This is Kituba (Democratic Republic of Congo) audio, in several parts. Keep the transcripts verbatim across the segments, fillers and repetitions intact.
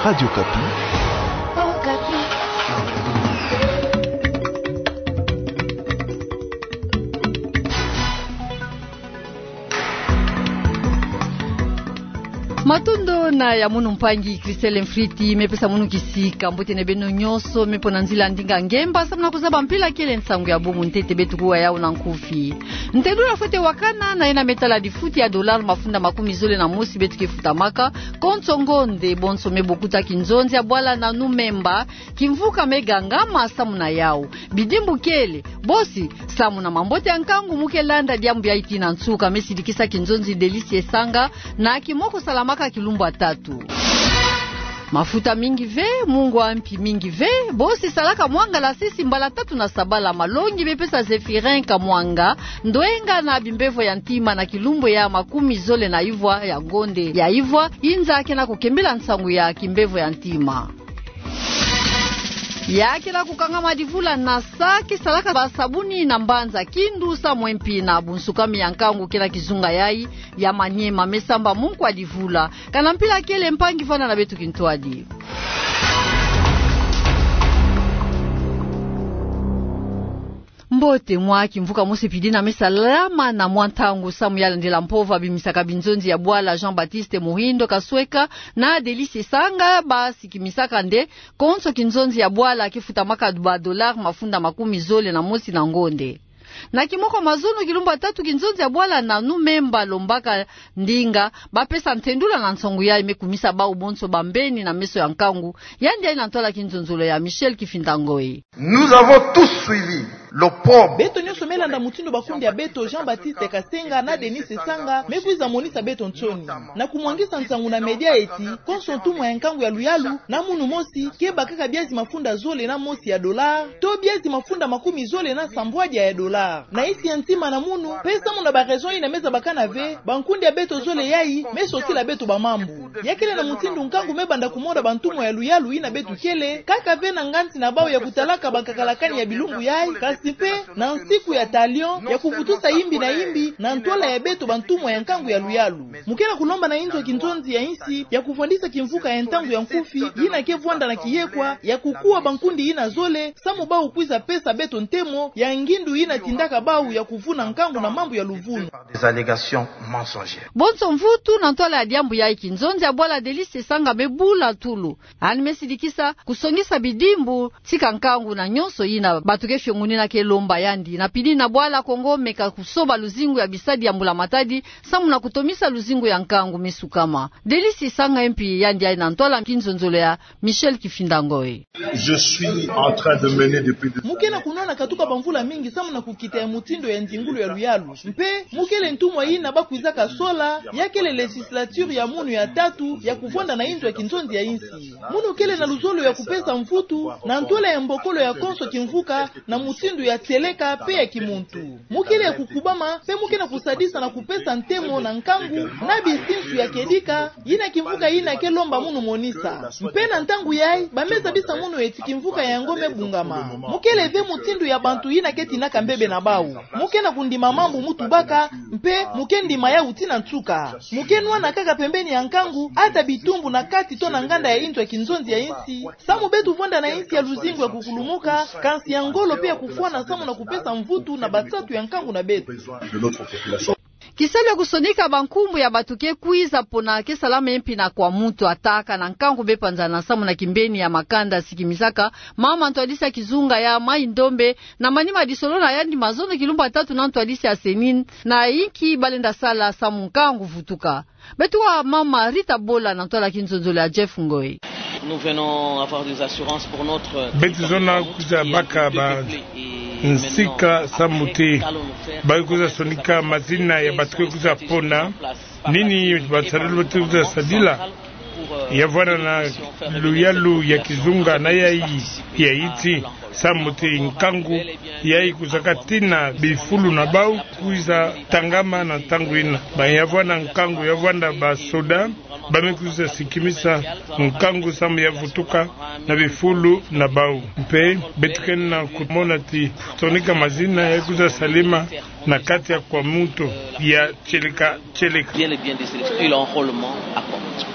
Radio Okapi. Matondo na ya munu mpangi Christelle Mfriti, me pesa munu kisika. Mbote na beno nyonso, me po na nzila ndinga ngemba, samu na kuzaba mpila kele nsangu ya bubu ntete beto kuwa yau na nkufi. Ntedula fwete wakana na yena me tala difuti ya dollar mafunda makumi zole na mosi beto ke futamaka, konso ngonde bonso me bokuta kinzonzi ya bwala na Nu Memba, kimvuka me gangama samu na yau. Bidimbu kele, bosi, samu na mambote ya nkangu mu ke landa diambu yayi tii na nsuka, me sidikisa kinzonzi Delice Esanga, na kimoko salamaka kilumbu ya tatu. Mafuta mingi ve, mungwa mpi mingi ve, bosi salaka mwanga la sisi mbala tatu na sabala. Malongi me pesa Zéphirin Kamwanga, ndwenga na bimbevo ya ntima na kilumbu ya makumi zole na ivwa ya ngonde ya ivwa, inza ke na kukembila nsangu ya kimbevo ya ntima. Ya ke na kukangama divula na sa ke salaka basabuni na mbanza Kindu, samu mpi na bunsukami ya nkangu ke na kizunga yayi ya Maniema me samba mu nkwa divula. Kana mpila kele, mpangi, vanda na beto kintwadi. Mbote, mwa kimvuka mosi pidi na me salama na mwa ntangu samu ya landila mpova bimisaka binzonzi ya bwala Jean-Baptiste Muhindo Kasweka na Delice Esanga, basikimisaka nde konso kinzonzi ya bwala ke futamaka ba dollar mafunda makumi zole na mosi na ngonde. Na kimoko mazono kilumbu ya tatu, kinzonzi ya bwala na Nu Memba Lombaka Ndinga, bapesa ntendula na nsangu yayi me kumisa bau bonso bambeni na meso ya nkangu. Yandi yayi na ntwala kinzonzolo ya Michel Kifinda Ngoyi. Nous avons tous suivi l'opprobre. Beto nyonso me landa mutindu bakundi ya beto Jean-Baptiste Kasenga na Delice Esanga me kwiza monisa beto nsoni, na kumwangisa nsangu na média eti konso ntumwa ya nkangu ya luyalu na munu mosi ke bakaka biazi mafunda zole na mosi ya dollar, to biazi mafunda makumi zole na sambwadia ya dollar. Na insi ya ntima na munu, pe samu na ba raison yina me zabakana ve, bankundi ya beto zole yayi me sosila beto bamambu. Ya kele na mutindu nkangu me banda kumona bantumwa ya luyalu yina beto kele, kaka ve na nganzi na bau ya kutalaka bankakalakani ya bilumbu yayi, kasi pe na nsiku ya talion ya kuvutusa yimbi na yimbi na ntwala ya beto bantumwa ya nkangu ya luyalu. Mu ke na kulomba na inzo ya kinzonzi ya insi ya kuvwandisa kimvuka ya ntangu ya nkufi yina ke vwanda na kiyekwa ya kukuwa bankundi yina zole, samu bau kwiza pesa beto ntemo ya ngindu yina tindaka bau ya kuvuna nkangu na mambu ya luvunu. Des allégations mensongères. Bonso mvutu na ntwala ya diambu yayi, kinzonzi ya bwala Delice Esanga me bula tulu. Yandi me sidikisa kusongisa bidimbu, tika nkangu na nyonso yina bato ke fiongunina ke lomba yandi. Na pili na bwala Kongo meka kusoba luzingu ya bisadi ya mbula matadi, samu na kutomisa luzingu ya nkangu me sukama. Delice Esanga mpi yandi yayi na ntwala kinzonzolo ya Michel Kifinda Ngoyi. Je suis en train de mener depuis des années. Mu ke na kunwana katuka bamvula mingi samu na kukita ya mutindu ya nzingulu ya luyalu. Mpe mu kele ntumwa yina bakwizaka sola, ya kele législature ya munu ya tatu ya kuvwanda na inzo ya kinzonzi ya insi. Munu kele na luzolo ya kupesa mvutu na ntwala ya mbokolo ya konso kimvuka na mutindu ya tieleka pe ya kimuntu. Mu kele ya kukubama, pe mu ke na kusadisa na kupesa ntemo na nkangu na bisinsu ya kedika, yina kimvuka yina ke lomba munu monisa. Mpe na ntangu yayi, ba me zabisa munu eti kimvuka yango me bungama. Mu kele ve mutindu ya bantu yina ke tinaka mbebe na bau. Mu ke na kundima mambu mu tubaka, mpe mu ke ndima yau tii na nsuka. Mu ke nwana kaka pembeni ya nkangu, ata bitumbu na kati to na nganda ya inzo ya kinzonzi ya insi, samu beto vwanda na insi ya luzingu ya kukulumuka, kansi ya ngolo pe ya kufwana samu na kupesa mvutu na bansatu ya nkangu na beto. Kisalu ya kusonika bankumbu ya bato ke kwiza pona ke salama mpi na kwa muntu ataka na nkangu be panzana samu na kimbeni ya makanda sikimisaka mama ntwadisi ya kizunga ya Mai-Ndombe, na manima ya disolo na yandi mazono kilumbu ya tatu na ntwadisi ya CENI, na inki ba lenda sala samu nkangu vutuka. Beto wa mama Rita Bola na ntwala kinzonzolo ya Jeff Ngoyi. Nous venons avoir des assurances pour notre territoire. Beto zona kwiza baka ba nsika samu ti ba kwiza sonika mazina ya bato ke kwiza pona. Nini basadila bato ke kwiza sadila? Ya vwanda na luyalu ya kizunga na yayi ya iti, samu ti nkangu yayi kwizaka tii na bifulu na bau kwiza tangama na ntangu yina. Ba ya vwanda nkangu, ya vwanda basoda, ba me kwiza sikimisa nkangu samu ya vutuka na bifulu na bau. Mpe beto ke na kumona ti sonika mazina ya kwiza salama na kati ya Kwamouth ya tieleka tieleka. Bien et bien district, puis l'enrôlement à Kwamouth.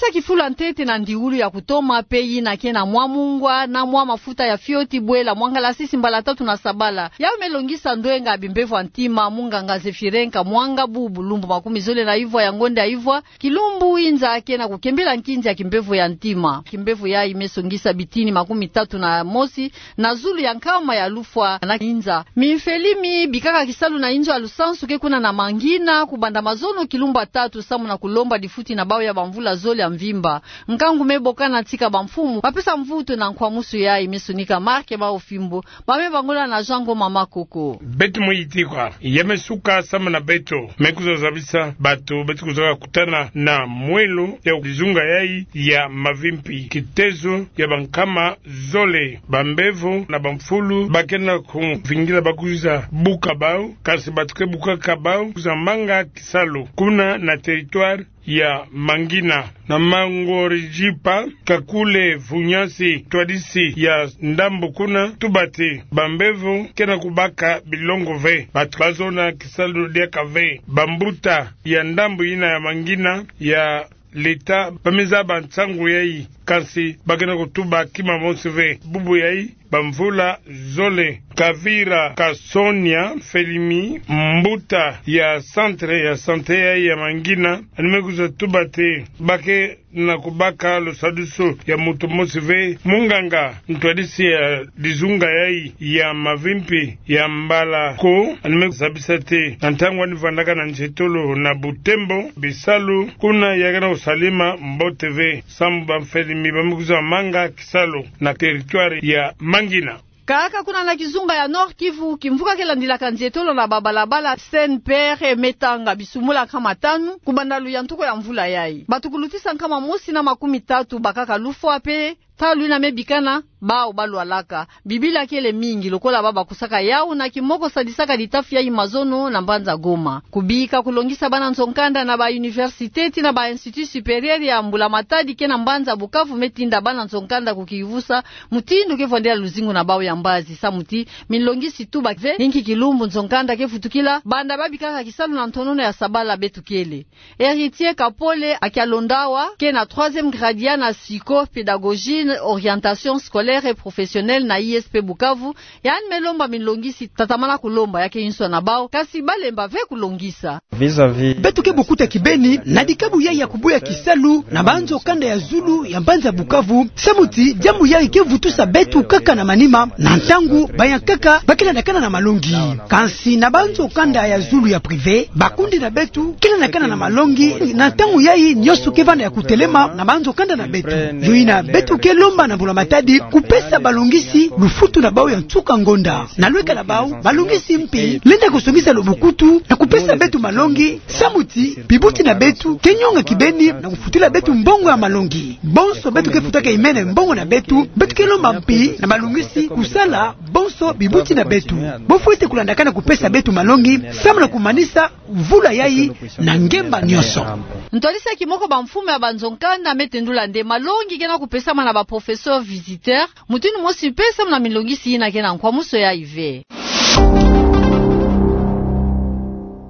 Sa kifula ntete na ndiulu ya kutoma pe yina ke na mwa mungwa na mwa mafuta ya fioti bwela mwa ngalasisi mbala tatu na sabala. Yau me longisa ndwenga bimbevo ya ntima munganga Zephyrin Kamwanga, bubu lumbu makumi zole na ivwa ya ngonda ya ivwa, kilumbu inza ke na kukembela nkinzi ya kimbevo ya ntima. Kimbevo yayi me songisa bitini makumi tatu na mosi na zulu ya nkama ya lufwa na inza. Mimfeli mi bikaka kisalu na inzo ya lusansu ke kuna na Mangina, kubanda mazono kilumbu ya tatu, samu na kulomba difuti na bau ya bamvula zole ya mvimba. Nkangu me bokana tika bamfumu bapesa mvutu na nkwamusu yayi, me sonika Marc Maofimbo, ba me bangola na Jean Ngoma Makoko. Beto mwe yitikwa, ya me suka samu na beto, me kwiza zabisa bato beto kwizaka kutana na mwelo ya kizunga yayi ya mavimpi. Kitezo ya bankama zole, bambevo na bamfulu, ba ke na kumvingila ba kwiza buka bau, kansi bato ke bukaka bau, kwiza manga kisalu kuna na territoire ya Mangina. Na Mangorijipa, Kakule, Vunyasi, ntwadisi ya ndambu kuna, tuba ti bambevo ke na kubaka bilongo ve. Bato ba zona kisalu diaka ve. Bambuta ya ndambu yina ya Mangina ya leta ba me zaba nsangu yayi, kansi ba ke na kutuba kima mosi ve. Bubu yayi, bamvula zole, Kavira Kasonia Felimi, mbuta ya centre ya santé yayi ya Mangina, yandi me kwiza tuba ti ba ke na kubaka lusadusu ya moto mosi ve. Munganga ntwadisi ya kizunga yayi ya mavimpi ya Mbalako, yandi me zabisa ti na ntangu yandi vandaka na nzietolo na Butembo, bisalu kuna ya ke na kusalama mbote ve, samu bamfeli mi ba me kwiza manga kisalu na territoire ya Mangina. Kaka kuna na kizunga ya Nord-Kivu, kimvuka ke landilaka nzietolo na babalabala Saint-Pierre me tanga bisumula nkama tanu kubanda luyantuku ya mvula yayi. Bato kulutisa nkama mosi na makumi tatu bakaka lufwa pe ntalu yina me bikana bau ba lwalaka. Bibila kele mingi lokola ba bakusaka yau na kimoko sadisaka litafi yayi mazono na mbanza Goma. Kubika kulongisa bana nzo-nkanda na ba université tii na ba institut supérieur ya mbula-matadi ke na mbanza Bukavu me tinda bana nzo-nkanda kukivusa mutindu ke vwandila luzingu na bau ya mbazi, samu ti minlongisi tuba ve ni nki kilumbu nzo-nkanda ke vutukila banda ba bikaka kisalu na ntonono ya sabala beto kele. Héritier Kapole Akialondawa, ke na troisième grade ya na psycho-pédagogie, orientation scolaire et professionnelle na I S P Bukavu, yandi me lomba minlongisi tatamana kulomba ya ke inso na bau, kansi ba lemba ve kulongisa. Vis-à-vis. Beto ke bukuta kibeni na dikabu yayi ya kubuya kisalu na banzo-kanda ya zulu ya mbanza Bukavu, samu ti diambu yayi ke vutusa beto kaka na manima, na ntangu bayankaka ba ke landakana na malongi. Kansi na banzo-kanda ya zulu ya privé, bakundi na beto ke landakana na malongi, na ntangu yayi nyonso ke vanda ya kutelema na banzo-kanda na beto. Yo yina beto ke lomba na mbula-matadi kupesa balongisi lufutu na bau ya nsuka ngonda. Na lweka na bau, balongisi mpi lenda kusongisa lubukutu na kupesa beto malongi, samu ti bibuti na beto ke nyonga kibeni na kufutila beto mbongo ya malongi. Bonso beto ke futaka imene mbongo na beto, beto ke lomba mpi na balongisi kusala bonso bibuti na beto. Bo fwete kulandakana kupesa beto malongi samu na kumanisa mvula yayi na ngemba nyonso. Ntwadisi ya kimoko bamfumu ya banzo-nkanda me tendula nde malongi ke na kupesama na ba professeur visiteur mutindu mosi mpe samu na minlongisi yina ke na nkwamusu yayi ve.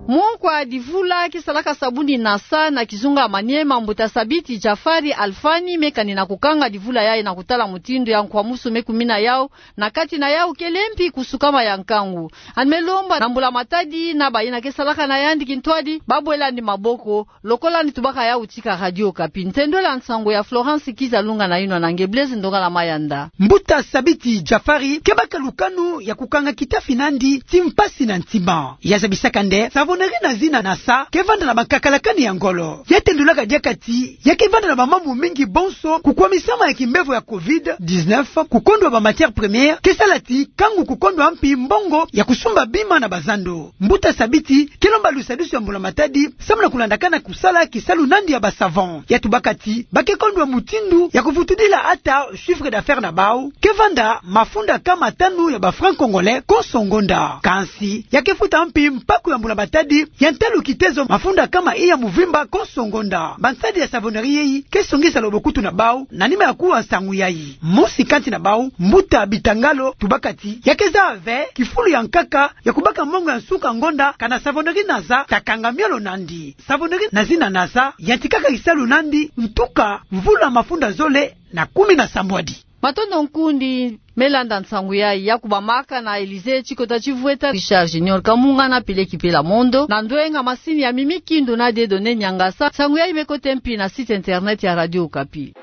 Monkwa divula ke salaka sabuni na sa na kizunga Maniema, mbuta Sabiti Jafari Alfani, me kani na kukanga divula yayi na kutala mutindu ya nkwamusu me kumina yau na kati na yau kele mpi kusukama ya nkangu. Yandi me lomba na mbula-matadi na bayina ke salaka na yandi kintwadi ba bwela yandi maboko, lokola yandi tubaka yau tika Radio Okapi. Ntendwela nsangu ya Florence Kizalunga na yinwa na nge Blaise Ndongala Mayanda. Mbuta Sabiti Jafari ke baka lukanu ya kukanga kitafi na yandi ti mpasi na ntima. Ya zabisaka nde savonnerie na zina na sa ke vanda na bankakalakani ya ngolo. Ya tendulaka diaka ti ya ke vanda na bamambu mingi bonso, kukwamisama ya kimbevo ya covid dix-neuf, kukondwa ba matières premières, ke sala ti kangu kukondwa mpi mbongo ya kusumba bima na bazando. Mbuta Sabiti ke lomba lusadusu ya mbula-matadi samu na kulandakana kusala kisalu na yandi ya ba savon. Ya tubaka ti ba ke kondwa mutindu ya kuvutudila ata chiffre d'affaires na bau ke vanda mafunda kama tanu ya ba francs congolais konso ngonda. Kansi ya ke futa mpi mpaku ya mbula-matadi Ya ntalu kitezo mafunda kama iya muvimba konso ngonda. Bansadi ya savonnerie yei ke songisa lobo kutu na bau na nima ya kuwa nsangu yayi. Mosi kati na bau, mbuta Bitangalo, tubaka ti ya ke zaba ve kifulu ya nkaka ya kubaka mongo ya nsuka ngonda kana savonnerie naza takanga miolo nandi. Savonnerie na zina naza yantikaka kisalu nandi, ntuka mvula mafunda zole na kumi na sambwadi. Matondo nkundi me landa nsangu yayi ya kubamaka na Elysee Tshikota Tshivueta, Richard Junior Kamunga na Pile Kipela Mondo, na ndwenga masini ya Mimi Kindu na Dieudonné Niangasa. Nsangu yayi me kota mpi na site internet ya Radio Okapi.